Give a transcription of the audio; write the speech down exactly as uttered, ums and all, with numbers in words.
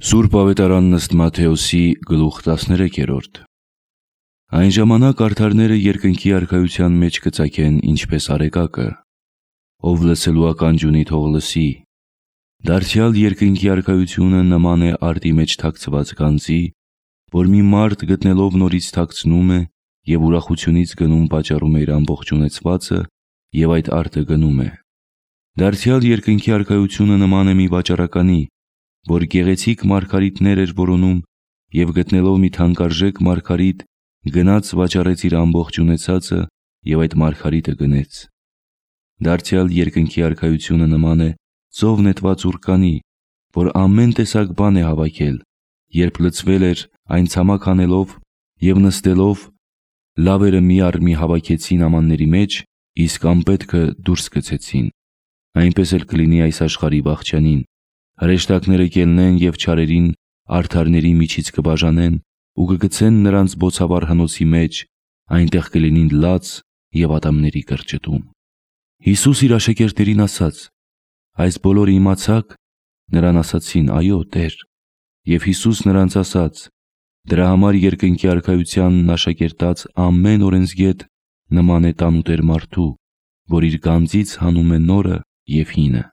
Սուրբ Ավետարանն ըստ Մատթեոսի գլուխ տասներեքերորդ։ Այն ժամանակ արդարները երկնքի արքայության մեջ կծագեն ինչպես արեկակը, ով լսելու ականջ ունի թող լսի։ Դարձյալ երկնքի արքայությունը նման է արտի մեջ թաքցված գանձի, որ մի մարդ գտնելով նորից թաքցնում է և ուրախությունից գնում պատճառում է իր ամբողջ ունեցվածը և այդ արտը գնում է։ Դարձյալ երկնքի արքայությունը նման է մի վաճառականի, որ գեղեցիկ մարգարիտներ էր որոնում և գտնելով մի թանկարժեք մարգարիտ, գնաց վաճառեց իր ամբողջ ունեցածը և այդ մարգարիտը գնեց։ Դարձյալ երկնքի արքայությունը նման է ծով նետված ուռկանի, որ ամեն տեսակ բան է հավաքել, երբ լցվել էր, այն ցամաք հանելով և նստելով, լավերը մի առ մի հավաքեցին ամանների մեջ, իսկ անպետքը դուրս գցեցին։ Այնպես էլ կլինի այս աշխարհի վախճանին, հրեշտակները կելնեն և չարերին արդարների միջից կբաժանեն ու կգցեն նրանց բոցավառ հնոցի մեջ, այնտեղ կլինին լաց և ատամների կրճտում։ Հիսուս իր աշակերտներին ասաց. «Այս բոլորը իմացաք»։ Նրան ասացին. «Այո, Տեր»։ Եվ Հիսուս նրանց ասաց. «Դրա համար երկնքի արքայությանն աշակերտած ամեն օրենսգետ նման է տանուտեր մարդու, որ իր գանձից հանում է նորը և հինը»։